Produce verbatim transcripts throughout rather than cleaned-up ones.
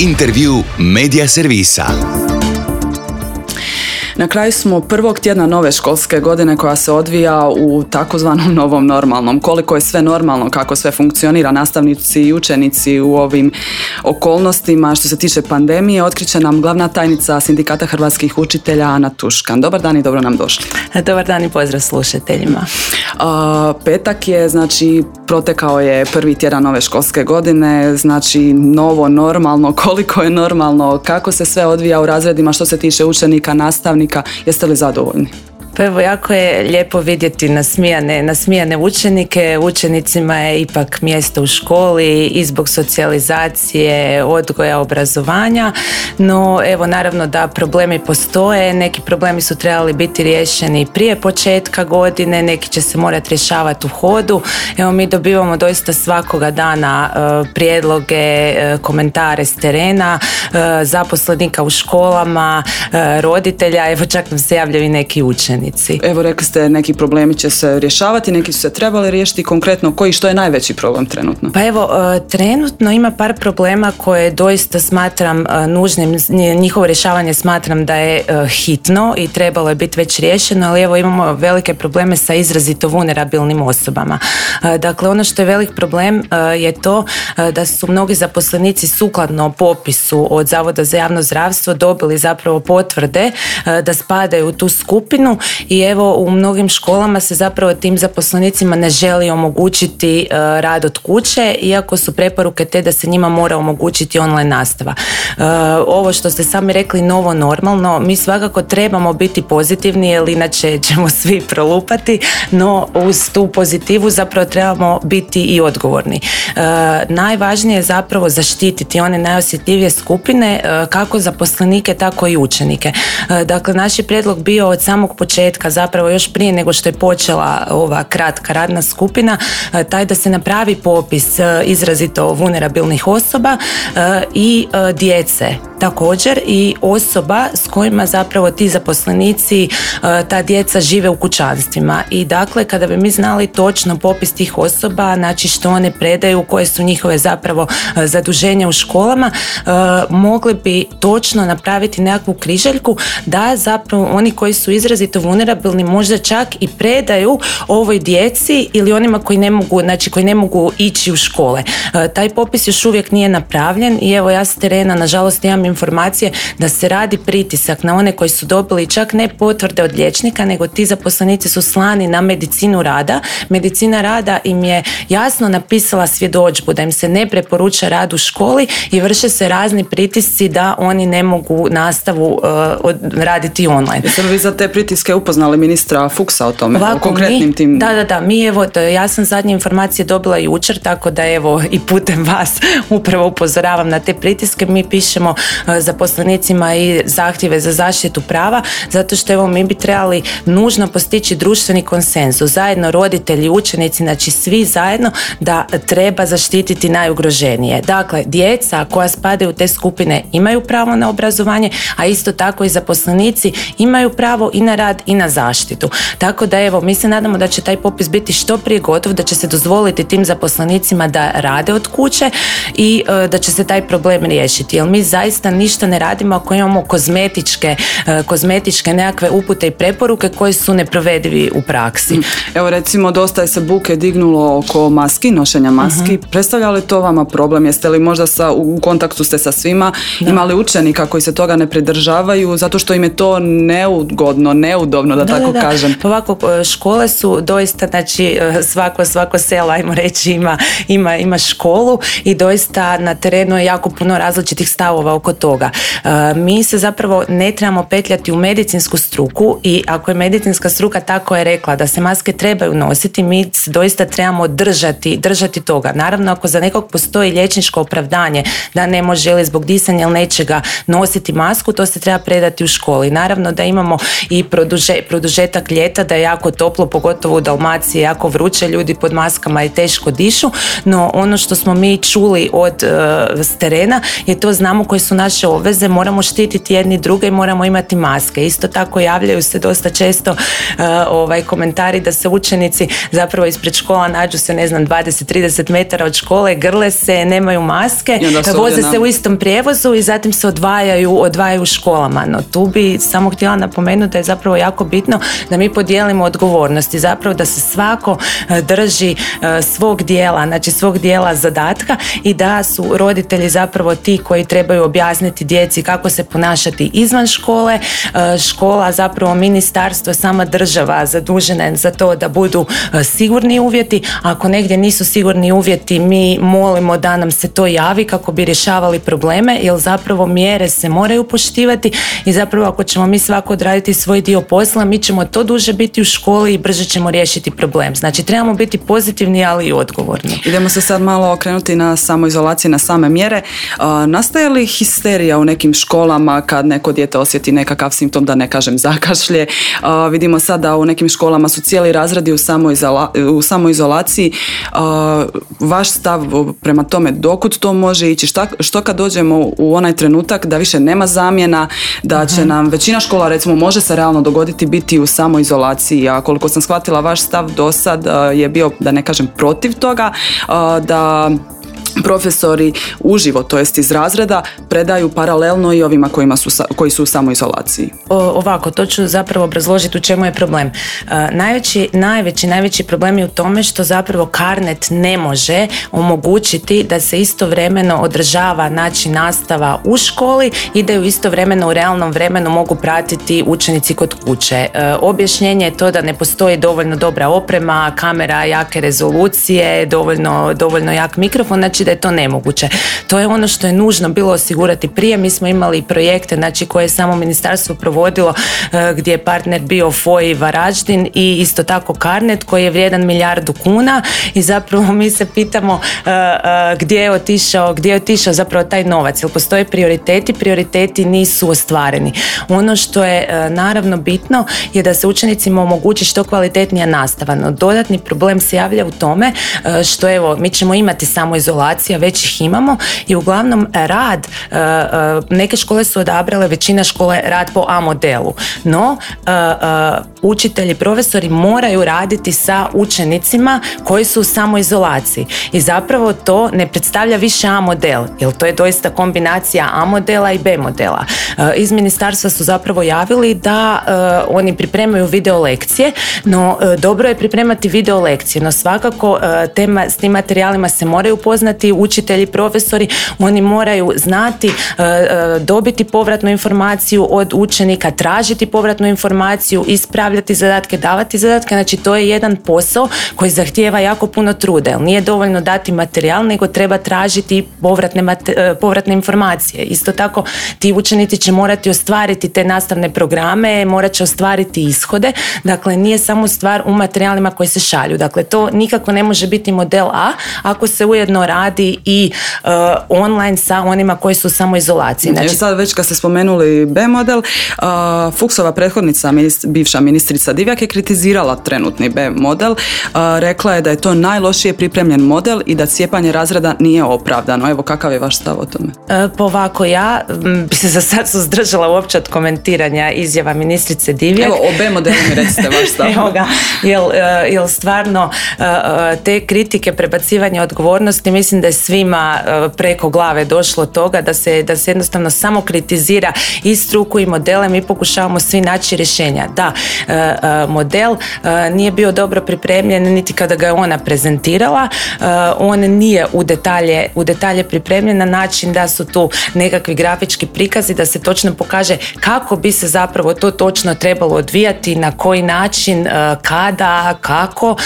Intervju Media Servisa. Na kraju smo prvog tjedna nove školske godine koja se odvija u takozvanom novom normalnom. Koliko je sve normalno, kako sve funkcionira, nastavnici i učenici u ovim okolnostima što se tiče pandemije, otkriće nam glavna tajnica Sindikata hrvatskih učitelja Ana Tuškan. Dobar dan i dobro nam došli. Dobar dan i pozdrav slušateljima. A, petak je, znači, protekao je prvi tjedan nove školske godine, znači novo normalno, koliko je normalno, kako se sve odvija u razredima što se tiče učenika, nastavnika. Jeste li zadovoljni? Pa evo, jako je lijepo vidjeti nasmijane, nasmijane učenike. Učenicima je ipak mjesto u školi i zbog socijalizacije, odgoja, obrazovanja, no evo naravno da problemi postoje, neki problemi su trebali biti riješeni prije početka godine, neki će se morati rješavati u hodu. Evo, mi dobivamo doista svakoga dana uh, prijedloge, uh, komentare s terena, uh, zaposlenika u školama, uh, roditelja, evo čak nam se javljaju i neki učenici. Evo, rekli ste, neki problemi će se rješavati, neki su se trebali riješiti. Konkretno, koji, što je najveći problem trenutno? Pa evo, trenutno ima par problema koje doista smatram nužnim, njihovo rješavanje smatram da je hitno i trebalo je biti već riješeno, ali evo imamo velike probleme sa izrazito vulnerabilnim osobama. Dakle, ono što je velik problem je to da su mnogi zaposlenici sukladno popisu od Zavoda za javno zdravstvo dobili zapravo potvrde da spadaju u tu skupinu. I evo, u mnogim školama se zapravo tim zaposlenicima ne želi omogućiti uh, rad od kuće, iako su preporuke te da se njima mora omogućiti online nastava. Uh, ovo što ste sami rekli, novo normalno, mi svakako trebamo biti pozitivni, jer inače ćemo svi prolupati, no uz tu pozitivu zapravo trebamo biti i odgovorni. Uh, najvažnije je zapravo zaštititi one najosjetljivije skupine, uh, kako zaposlenike, tako i učenike. Uh, dakle, naš je prijedlog bio od samog početka, zapravo još prije nego što je počela ova kratka radna skupina, taj da se napravi popis izrazito vulnerabilnih osoba i djece također i osoba s kojima zapravo ti zaposlenici, ta djeca žive u kućanstvima. I dakle, kada bi mi znali točno popis tih osoba, znači što one predaju, koje su njihove zapravo zaduženja u školama, mogli bi točno napraviti nekakvu križaljku da zapravo oni koji su izrazito vulnerabilni možda čak i predaju ovoj djeci ili onima koji ne mogu, znači koji ne mogu ići u škole. Taj popis još uvijek nije napravljen i evo, ja s terena nažalost imam informacije da se radi pritisak na one koji su dobili čak ne potvrde od liječnika, nego ti zaposlenici su slani na medicinu rada. Medicina rada im je jasno napisala svjedodžbu da im se ne preporuča rad u školi i vrše se razni pritisci da oni ne mogu nastavu uh, raditi online. Jeste li vi za te pritiske upoznali ministra Fuchsa o tome, Ovako, o konkretnim mi, tim? Da, da, da, mi evo, ja sam zadnje informacije dobila jučer, tako da evo i putem vas upravo upozoravam na te pritiske. Mi pišemo uh, zaposlenicima i zahtjeve za zaštitu prava, zato što evo mi bi trebali nužno postići društveni konsenzus, zajedno roditelji, učenici, znači svi zajedno, da treba zaštititi najugroženije. Dakle, djeca koja spadaju u te skupine imaju pravo na obrazovanje, a isto tako i zaposlenici imaju pravo i na rad i na zaštitu. Tako da evo, mi se nadamo da će taj popis biti što prije gotov, da će se dozvoliti tim zaposlenicima da rade od kuće i e, da će se taj problem riješiti. Jer mi zaista ništa ne radimo ako imamo kozmetičke, e, kozmetičke nekakve upute i preporuke koji su neprovedivi u praksi. Evo, recimo, dosta je se buke dignulo oko maski, nošenja maski. Uh-huh. Predstavlja li to vama problem? Jeste li možda sa, u kontaktu ste sa svima? Da. Imali učenika koji se toga ne pridržavaju zato što im je to neugodno, neudobno, da, da tako da, da. kažem? Ovako, škole su doista, znači svako, svako selo, ajmo reći, ima, ima, ima školu i doista na terenu je jako puno različitih stavova oko toga. Mi se zapravo ne trebamo petljati u medicinsku struku i ako je medicinska struka tako je rekla da se maske trebaju nositi, mi se doista trebamo držati, držati toga. Naravno, ako za nekog postoji liječničko opravdanje da ne može ili zbog disanja ili nečega nositi masku, to se treba predati u školi. Naravno da imamo i produže, produžetak ljeta, da je jako toplo, pogotovo u Dalmaciji, jako vruće, ljudi pod maskama i teško dišu, no ono što smo mi čuli od uh, s terena je to, znamo koji su nažalost naše obveze, moramo štititi jedni druge i moramo imati maske. Isto tako javljaju se dosta često uh, ovaj, komentari da se učenici zapravo ispred škola nađu se, ne znam, dvadeset do trideset metara od škole, grle se, nemaju maske, voze se u istom prijevozu i zatim se odvajaju, odvajaju u školama. No tu bi samo htjela napomenuti da je zapravo jako bitno da mi podijelimo odgovornosti, zapravo da se svako drži svog dijela, znači svog dijela zadatka i da su roditelji zapravo ti koji trebaju objasniti djeci kako se ponašati izvan škole. Škola, zapravo ministarstvo, sama država zadužena je za to da budu sigurni uvjeti. Ako negdje nisu sigurni uvjeti, mi molimo da nam se to javi kako bi rješavali probleme, jer zapravo mjere se moraju poštivati i zapravo ako ćemo mi svako odraditi svoj dio posla, mi ćemo to duže biti u školi i brže ćemo riješiti problem. Znači trebamo biti pozitivni, ali i odgovorni. Idemo se sad malo okrenuti na samoizolaciju, na same mjere. A, nastaje li histerija u nekim školama kad neko dijete osjeti nekakav simptom, da ne kažem zakašlje? A, vidimo sad da u nekim školama su cijeli razredi u, samoizola, u samoizolaciji. A, vaš stav prema tome, dokud to može ići? Šta, što kad dođemo u onaj trenutak da više nema zamjena, da će nam većina škola, recimo, može se realno dogoditi biti u samoizolaciji, a koliko sam shvatila vaš stav do sad je bio, da ne kažem protiv toga, da profesori uživo, to jest iz razreda, predaju paralelno i ovima kojima su, koji su u samoizolaciji. O, ovako, to ću zapravo obrazložiti u čemu je problem. Uh, najveći, najveći, najveći problem je u tome što zapravo Carnet ne može omogućiti da se istovremeno održava način nastava u školi i da ju istovremeno u realnom vremenu mogu pratiti učenici kod kuće. Uh, objašnjenje je to da ne postoji dovoljno dobra oprema, kamera jake rezolucije, dovoljno, dovoljno jak mikrofon, znači da je to nemoguće. To je ono što je nužno bilo osigurati prije. Mi smo imali projekte, znači koje je samo ministarstvo provodilo, gdje je partner bio F O I Varaždin i isto tako Carnet koji je vrijedan milijardu kuna i zapravo mi se pitamo uh, uh, gdje je otišao, gdje je otišao zapravo taj novac. Jer postoje prioriteti, prioriteti nisu ostvareni. Ono što je uh, naravno bitno je da se učenicima omogući što kvalitetnija nastava. No dodatni problem se javlja u tome uh, što evo, mi ćemo imati samo izolacija, već ih imamo i uglavnom rad, uh, uh, neke škole su odabrale, većina škole rad po A modelu, no uh, uh, učitelji, profesori moraju raditi sa učenicima koji su u samoizolaciji i zapravo to ne predstavlja više A model, jer to je doista kombinacija A modela i B modela. Uh, iz ministarstva su zapravo javili da uh, oni pripremaju video lekcije, no uh, dobro je pripremati video lekcije, no svakako uh, tema, s tim materijalima se moraju poznati učitelji, profesori, oni moraju znati, uh, uh, dobiti povratnu informaciju od učenika, tražiti povratnu informaciju, ispravljati zadatke, davati zadatke, znači to je jedan posao koji zahtijeva jako puno truda, jer nije dovoljno dati materijal, nego treba tražiti povratne, mate, povratne informacije. Isto tako ti učenici će morati ostvariti te nastavne programe, morat će ostvariti ishode, dakle nije samo stvar u materijalima koji se šalju, dakle to nikako ne može biti model A ako se ujedno radi i uh, online sa onima koji su u samoizolaciji. Znači, sad već kad ste spomenuli B model, uh, Fuchsova prethodnica, minist, bivša ministrica Divjak je kritizirala trenutni B model, uh, rekla je da je to najlošije pripremljen model i da cijepanje razreda nije opravdano. Evo, kakav je vaš stav o tome? Uh, pa ovako, ja bi se za sad suzdržala uopće od komentiranja izjava ministrice Divjak. Evo, o B modelu mi recite vaš stav. Evo ga, jel, uh, jel stvarno uh, te kritike, prebacivanje odgovornosti, mislim da je svima uh, preko glave došlo toga da se, da se jednostavno samo kritizira i struku i modele, mi pokušavamo svi naći rješenja. Da, uh, uh, model uh, nije bio dobro pripremljen niti kada ga je ona prezentirala, uh, on nije u detalje, u detalje pripremljen na način da su tu nekakvi grafički prikazi, da se točno pokaže kako bi se zapravo to točno trebalo odvijati, na koji način, uh, kada, kako. Uh,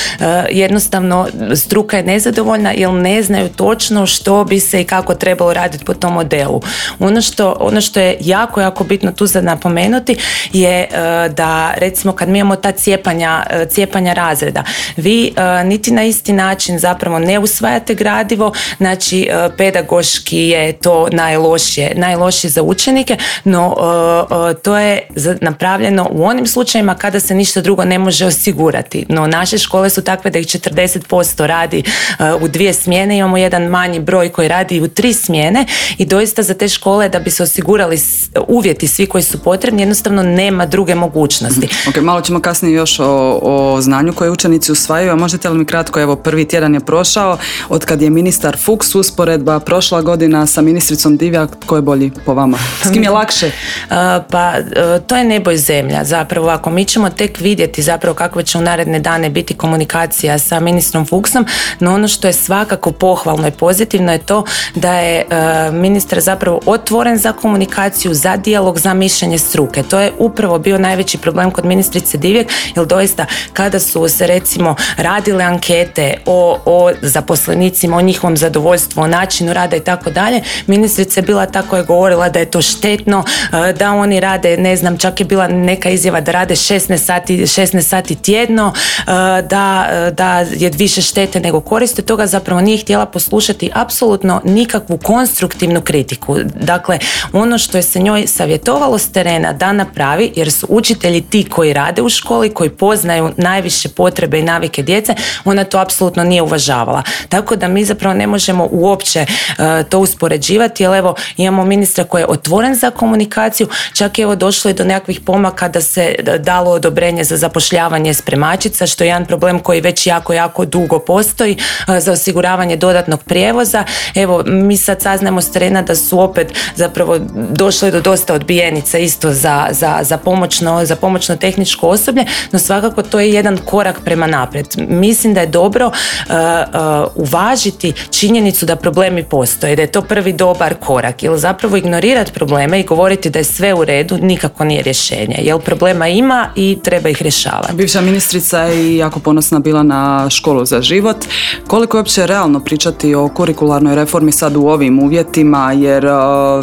jednostavno struka je nezadovoljna jer ne znaju točno što bi se i kako trebalo raditi po tom modelu. Ono što, ono što je jako, jako bitno tu za napomenuti je uh, da recimo kad mi imamo ta cijepanja, cijepanja razreda. Vi uh, niti na isti način zapravo ne usvajate gradivo, znači uh, pedagoški je to najlošije, najlošije za učenike, no uh, uh, to je napravljeno u onim slučajima kada se ništa drugo ne može osigurati. No naše škole su takve da ih četrdeset posto radi uh, u dvije smjene, imamo jedan manji broj koji radi u tri smjene i doista za te škole da bi se osigurali uvjeti svi koji su potrebni, jednostavno nema druge mogućnosti. Ok, malo ćemo kasnije još o, o znanju koje učenici usvajaju, a možete li mi kratko, evo prvi tjedan je prošao, od kad je ministar Fuchs, usporedba prošla godina sa ministricom Divjak, tko je bolji po vama? S kim je lakše? Uh, pa uh, to je nebo i zemlja zapravo, ako mi ćemo tek vidjeti zapravo kakve će u naredne dane biti komunikacija sa ministrom Fuchsom, no ono što je svakako pohvalno i pozitivno je to da je uh, ministar zapravo otvoren za komunikaciju, za dijalog, za mišljenje struke. To je upravo bio najveći problem kod ministrice Divjak, jer doista kada su se recimo radile ankete o, o zaposlenicima, o njihovom zadovoljstvu, o načinu rada i tako dalje, ministrica je bila ta koja je govorila da je to štetno, da oni rade, ne znam, čak je bila neka izjava da rade šesnaest sati, šesnaest sati tjedno, da, da je više štete nego koriste, toga zapravo nije htjela poslušati apsolutno nikakvu konstruktivnu kritiku. Dakle, ono što je se njoj savjetovalo s terena da napravi, jer su učitelji ti koji rade u školi, koji poznaju najviše potrebe i navike djece, ona to apsolutno nije uvažavala. Tako da mi zapravo ne možemo uopće uh, to uspoređivati, jer evo imamo ministra koji je otvoren za komunikaciju, čak je evo došlo i do nekakvih pomaka da se dalo odobrenje za zapošljavanje spremačica, što je jedan problem koji već jako, jako dugo postoji, uh, za osiguravanje dodatnog prijevoza. Evo, mi sad saznajemo s terena da su opet zapravo došli do dosta odbijenica isto za, za, za, pomoćno, za pomoćno tehničko osoblje, no svakako to je jedan korak prema naprijed. Mislim da je dobro uh, uh, uvažiti činjenicu da problemi postoje, da je to prvi dobar korak, jer zapravo ignorirati probleme i govoriti da je sve u redu nikako nije rješenje, jer problema ima i treba ih rješavati. Bivša ministrica je jako ponosna bila na školu za život. Koliko je uopće realno pričati o kurikularnoj reformi sad u ovim uvjetima, jer uh,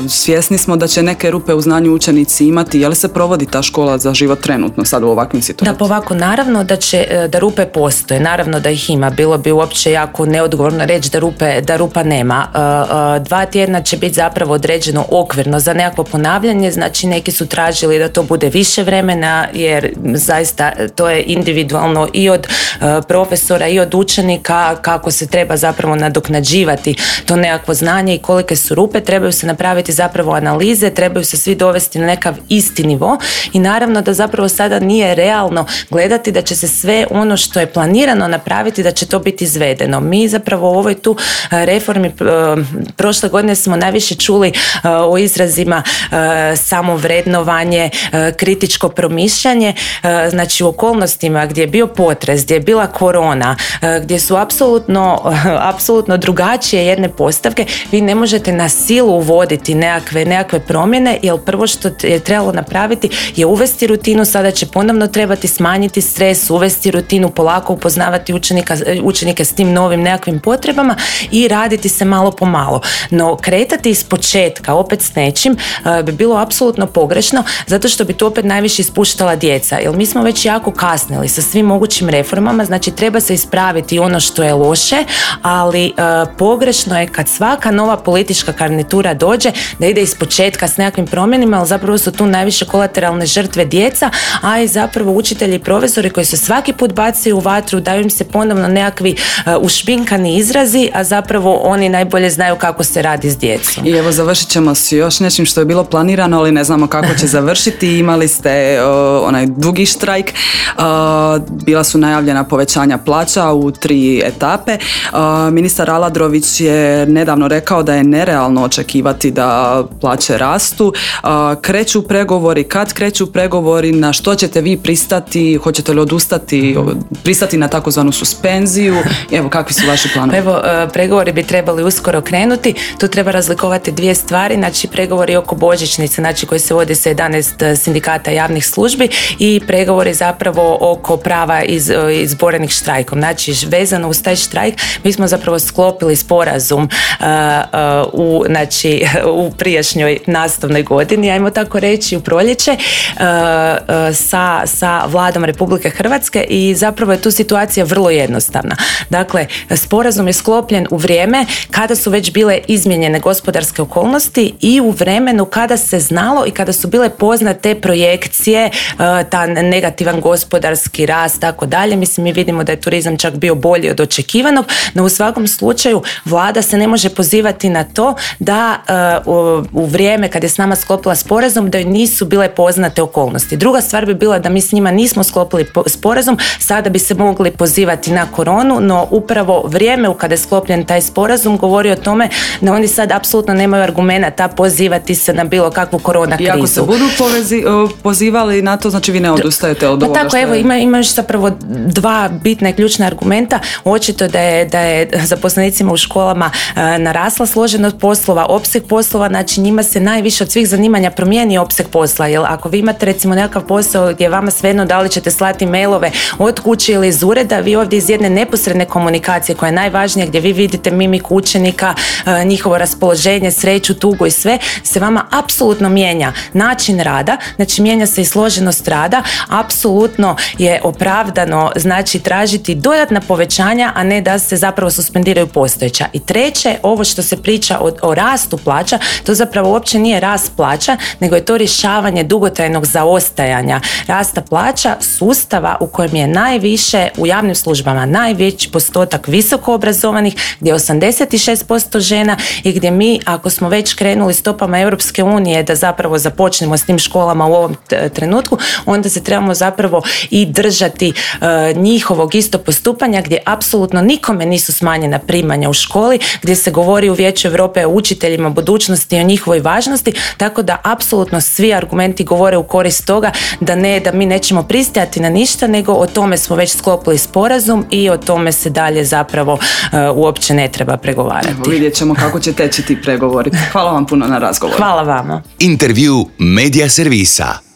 svjesni smo da će neke rupe u znanju učenici imati. Je li se provodi ta škola za život trenutno sad u ovakvim situacijama? Da, pa ovako, naravno da će, da rupe postoje, naravno da ih ima. Bilo bi uopće jako neodgovorno reći da, rupe, da rupa nema. Uh, uh, dva tjedna će biti zapravo određeno okvirno za nekakvo ponavljanje, znači neki su tražili da to bude više vremena, jer zaista to je individualno i od uh, profesora i od učenika kako se treba zapravo nadoknađivati to nekakvo znanje i kolike su rupe. Trebaju se napraviti zapravo analize, trebaju se svi dovesti na nekav isti nivo i naravno da zapravo sada nije realno gledati da će se sve ono što je planirano napraviti, da će to biti izvedeno. Mi zapravo u ovoj tu reformi prošle godine smo najviše čuli o izrazima samovrednovanje, kritičko promišljanje, znači u okolnostima gdje je bio potres, gdje je bila korona, gdje su apsolutno, apsolutno drugačije jedne postavke, vi ne možete na silu uvoditi nekakve, nekakve promjene, jer prvo što je trebalo napraviti je uvesti rutinu, sada će ponovno trebati smanjiti stres, uvesti rutinu, polako upoznavati učenika, učenike s tim novim nekakvim potrebama i raditi se malo po malo. No kretati iz početka opet s nečim uh, bi bilo apsolutno pogrešno, zato što bi to opet najviše ispuštala djeca, jer mi smo već jako kasnili sa svim mogućim reformama, znači treba se ispraviti ono što je loše, ali uh, pogrešno je kad svaka nova politička garnitura dođe da ide iz početka s nekakvim promjenima, ali zapravo su tu najviše kolateralne žrtve djeca, a i zapravo učitelji i profesori koji se svaki put bacaju u vatru, daju im se ponovno nekakvi uh, ušminkani izrazi, a zapravo oni najbolje znaju kako se radi s djecom. I evo završit ćemo s još nečim što je bilo planirano, ali ne znamo kako će završiti. Imali ste uh, onaj dugi štrajk, uh, bila su najavljena povećanja plaća u tri etape. Uh, ministar Aladrović je nedavno rekao da je nerealno očekivati da plaće rastu. Uh, kreću pregovori, kad kreću pregovori, na što ćete vi pristati, hoćete li odustati, pristati na takozvanu suspenziju, evo kakvi su vaši planovi? Evo, pregovori bi trebali uskoro krenuti, tu treba razlikovati dvije stvari, znači pregovori oko božićnice, znači koji se vodi sa jedanaest sindikata javnih službi i pregovori zapravo oko prava iz, izborenih štrajkom, znači vezano uz taj štrajk mi smo zapravo sklopili sporazum uh, uh, u, znači, u prijašnjoj nastavnoj godini, ajmo tako reći u proljeće, uh, uh, sa sa, sa vladom Republike Hrvatske i zapravo je tu situacija vrlo jednostavna. Dakle, sporazum je sklopljen u vrijeme kada su već bile izmijenjene gospodarske okolnosti i u vremenu kada se znalo i kada su bile poznate projekcije, ta negativan gospodarski rast, tako dalje. Mislim, mi vidimo da je turizam čak bio bolji od očekivanog, no u svakom slučaju vlada se ne može pozivati na to da uh, u vrijeme kad je s nama sklopila sporazum da joj nisu bile poznate okolnosti. Druga stvar bi bila da mi s njima nismo sklopili sporazum, sada bi se mogli pozivati na koronu, no upravo vrijeme u kada je sklopljen taj sporazum govori o tome da oni sad apsolutno nemaju argumenata pozivati se na bilo kakvu korona krizu. I ako se budu povezi, pozivali na to, znači vi ne odustajete od pa ovoga tako, što je... evo, ima, ima još zapravo dva bitna i ključna argumenta. Očito da je, da je zaposlenicima u školama e, narasla složenost poslova, opseg poslova, znači njima se najviše od svih zanimanja promijeni opseg posla, jer ako vi imate recimo nekakav posao gdje je vama svejedno da li ćete slati mailove od kuće ili iz ureda, vi ovdje iz jedne neposredne komunikacije koja je najvažnija, gdje vi vidite mimiku učenika, e, njihovo raspoloženje, sreću, tugu i sve, se vama apsolutno mijenja način rada, znači mijenja se i složenost rada, apsolutno je opravdano znači tražiti dodatna povećanja, a ne da se zapravo suspendiraju postojeća. I treće, ovo što se priča o, o rastu plaća, to zapravo uopće nije rast plaća, nego je to rješavanje dugotrajnog zaostajanja rasta plaća sustava u kojem je najviše u javnim službama najveći postotak visoko obrazovanih, gdje je osamdeset šest posto žena i gdje mi, ako smo već krenuli stopama Europske unije da zapravo započnemo s tim školama u ovom t- trenutku, onda se trebamo zapravo i držati uh, njihovog isto postupanja, gdje apsolutno nikome nisu smanjena primanja u školi, gdje se govori u Vijeću Europe o učiteljima budućnosti i o njihovoj važnosti, tako da apsolutno svi argumenti govore u korist toga da ne, da mi nećemo pristajati na ništa, nego o tome smo već sklopili sporazum i o tome se dalje zapravo uh, uopće ne treba pregovarati. Evo, vidjet ćemo kako će teći ti pregovori. Hvala vam puno na razgovoru. Hvala vama. Intervju Media Servisa.